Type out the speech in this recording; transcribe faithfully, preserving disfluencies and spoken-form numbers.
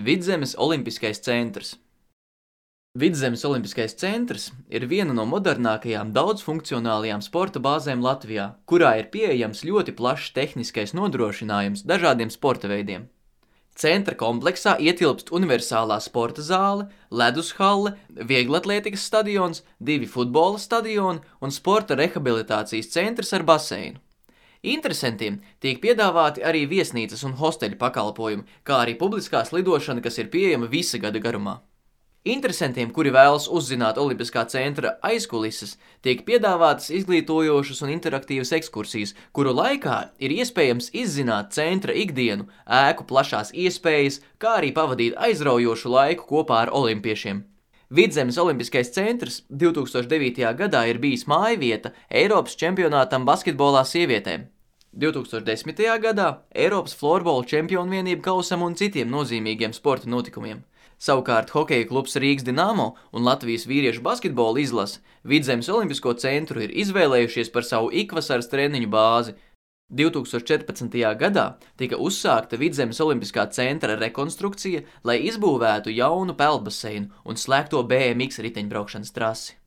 Vidzemes Olimpiskais centrs. Vidzemes Olimpiskais centrs ir viena no modernākajām daudzfunkcionālajām sporta bāzēm Latvijā, kurā ir pieejams ļoti plašs tehniskais nodrošinājums dažādiem sporta veidiem. Centra kompleksā ietilpst universālā sporta zāle, ledushalle, vieglatlētikas stadions, divi futbola stadioni un sporta rehabilitācijas centrs ar baseinu. Interesantiem tiek piedāvāti arī viesnīcas un hosteļu pakalpojumi, kā arī publiskās lidošana, kas ir pieejama visa gada garumā. Interesantiem, kuri vēlas uzzināt Olimpiskā centra aizkulises, tiek piedāvātas izglītojošas un interaktīvas ekskursijas, kuru laikā ir iespējams izzināt centra ikdienu, ēku plašās iespējas, kā arī pavadīt aizraujošu laiku kopā ar olimpiešiem. Vidzemes Olimpiskais centrs divi tūkstoši devītajā gadā ir bijis mājvieta Eiropas čempionātam basketbolā sievietēm, divi tūkstoši desmitajā gadā Eiropas florbola čempionu vienību kausam un citiem nozīmīgiem sporta notikumiem. Savukārt hokeja klubs Rīgas Dinamo un Latvijas vīriešu basketbola izlase Vidzemes Olimpisko centru ir izvēlējušies par savu ikvasaras treniņu bāzi. divi tūkstoši četrpadsmitajā gadā tika uzsākta Vidzemes Olimpiskā centra rekonstrukcija, lai izbūvētu jaunu peldbaseinu un slēgto B M X riteņbraukšanas trasi.